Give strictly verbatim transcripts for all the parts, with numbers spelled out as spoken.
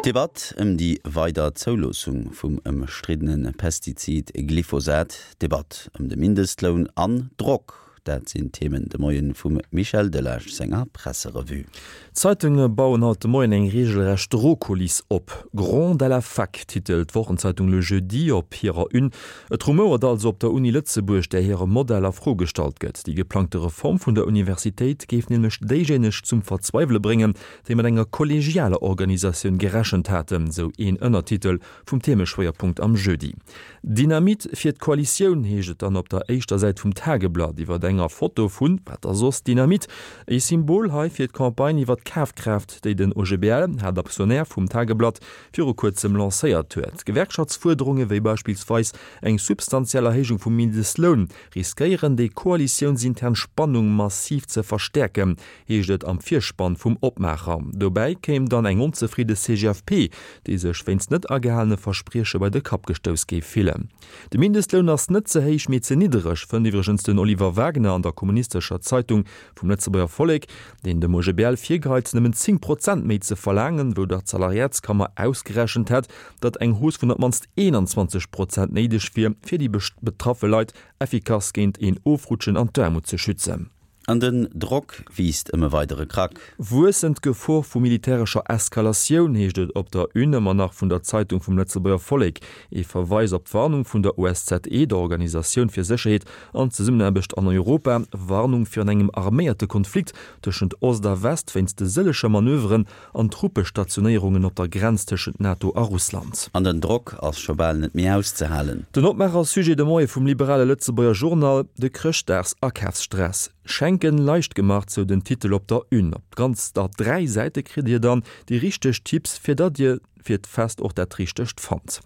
D'Debatt ëm déi weider Zouloossung vum ëmstriddene Pestizid Glyphosat, d'Debatt ëm de Mindestloun an Drock, dat sinn d'Themen de Moien vum Michel Delage senger Presserevue. D'Zeitunge bauen haut de Moien eng reegelrecht Drohkuliss op. Gronde à la fac titelt d'Wochenzeitung Le Jeudi op hirer Une. Et rumouert also op der Uni Lëtzebuerg, där hire Modell a Fro gestallt gëtt. Déi geplangte Reform vun der Universitéit géif nämlech déijéineg zum Verzweiwele bréngen, déi mat enger kollegialer Organisatioun gerechent haten, sou een Ënnertitel vum Themeschwéierpunkt am Jeudi. Dynamit fir d'Koalitioun, heescht et dann op der éischter Säit vum Tageblatt iwwer enger Foto vun, wat da soss, Dynamit. E Symbol hei fir d'Campagne iwwer d'Kafkraaft, déi den O G B L, Haaptaktionär vum Tageblatt, viru kuerzem lancéiert huet. Gewerkschaftsfuerderunge wéi beispillsweis eng substantiell Erhéijung vum Mindestloun riskéieren déi koalitiounsintern Spannung massiv ze verstäerken, heescht et am Virspann vum Opmaacher. Dobäi kéim dann eng onzefridde C G F P, déi sech wéinst net agehalene Versprieche bei de Kapp gestouss géif fillen. De Mindestloun ass net ze héich, mee ze niddereg, fënnt iwwregens den Oliver Wagner an der Kommunistescher Zeitung vum Lëtzebuerger Vollek, deen dem O G B L virgeheit, nëmmen zéng Prozent méi ze verlaangen, wou der d'Salariatskammer ausgerechent hätt, datt eng Hausse vun op d'mannst eenanzwanzeg Prozent néideg wier, fir déi betraffe Leit effikass géint een Ofrutschen an d'Aarmut ze schützen. An den Drock wiisst ëm e weidere Krack. Wuessend Gefor vu militärescher Eskalatioun, heescht et op der Une ëmmer nach vun der Zeitung vum Lëtzebuerger Vollek. E Verweis op d'Warnung vun der O S Z E, der Organisatioun fir Sécherheet an Zesummenaarbecht an Europa, Warnung virun engem arméierte Konflikt tëschent Ost a West wéinst de sëllege Manöveren an Truppestationéierungen op der Grenz tëschent NATO a Russland. An den Drock ass scho bal net méi auszehalen. Den Opmaacher-Sujet de Moie vum liberale Lëtzebuerger Journal, de Chrëschtdags-Akafsstress. Schenken leicht gemacht, sou den Titel op der Une. Op ganzer dräi Säite kritt Dir dann déi richteg Tipps, fir datt Dir fir d'Fest och dat Richtegt fannt.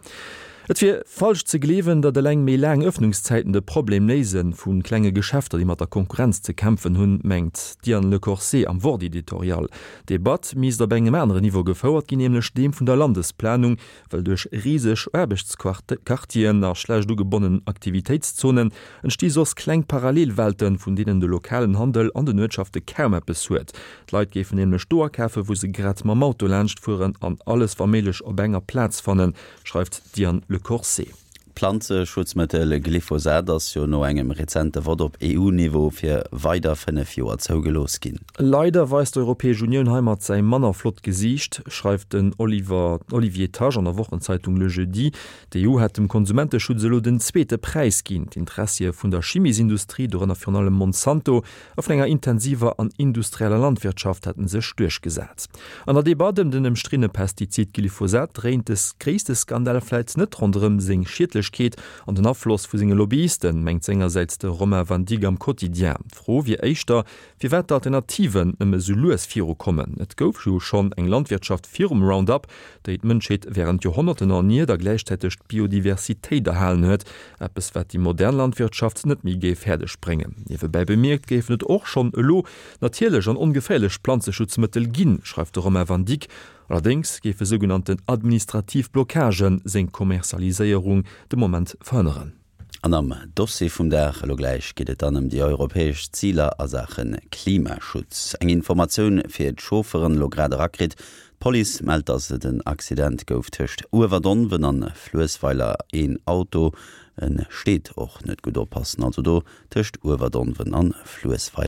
Et wier falsch ze gleewen, datt eleng méi laang Ëffnungszäiten de Problem léise vu klenge Geschäfter, déi mat der Konkurrenz ze kämpfen hunn, mengt d'Diane Lecorset am Wort-Editorial. D'Debatt misst op engem aneren Niveau gefouert ginn, nämlech deem vun der Landesplanung, well duerch riseg Aarbechtsquartieren a schlecht ugebonnen Aktivitéitszonen entsti soss kleng Parallelwelten, vun deenen de lokalen Handel an den Uertschafte kaum eppes huet. D'Leit géifen nämlech do akafen, wou se grad mam Auto laanscht fueren an alles wa méiglech op enger Plaz fannen, schreift d'Diane Lecorset. D'Planzeschutzmëttel Glyphosat ass jo no engem rezente Vott op E U-Niveau fir weider fënnef Joer zougelooss ginn. Leider weist d'Europäesch Unioun heimat säi manner flott Gesiicht, schreift den Oliver Olivier Tach an der Wochenzeitung Le Jeudi. D'E U hätt dem Konsumenteschutz elo den zweete Präis ginn. D'Interessie vun der Chimiesindustrie, dorënner virun allem Monsanto, a vun enger intensiver an industrieller Landwirtschaft hätte sech duerchgesat. An der Debatt ëm den ëmstriddene Pestizid Glyphosat dréint de gréisste Skandal vläicht net ronderëm seng Schiedlechkeet an den Afloss vu senge Lobbyisten, mengt sengersäits de Romain Van Dyck am Quotidien. D'Fro wier éischter, firwat d'Alternativen nëmme sou lues virukommen. Et gouf jo schonn eng Landwirtschaft virum Roundup, déi d'Mënschheet wärend Joerhonnerten erniert a gläichzäiteg d'Biodiversitéit erhalen huet, eppes wat déi modern Landwirtschaft net méi géif fäerdeg bréngen. Niewebäi bemierkt géifen et och schonn elo natierlech an ongeféierlech Planzeschutzmëttel ginn, schreift de Romain Van Dyck. Allerdéngs géife sougenannten administrativ Blockagen seng Kommerzialiséierung de Moment verhënneren. An am Dossier vum Dag elo gläich geet et dann ëm déi europäesch Ziler a Saache Klimaschutz. Eng Informatioun fir d'Chaufferen elo grad erakritt, D'Police mellt, dass et en Accident gouf tëscht Uewerdonwen an Fluessweiler. Een Auto e steet och net gutt, oppassen also do tëscht Uewerdonwen an Fluessweiler.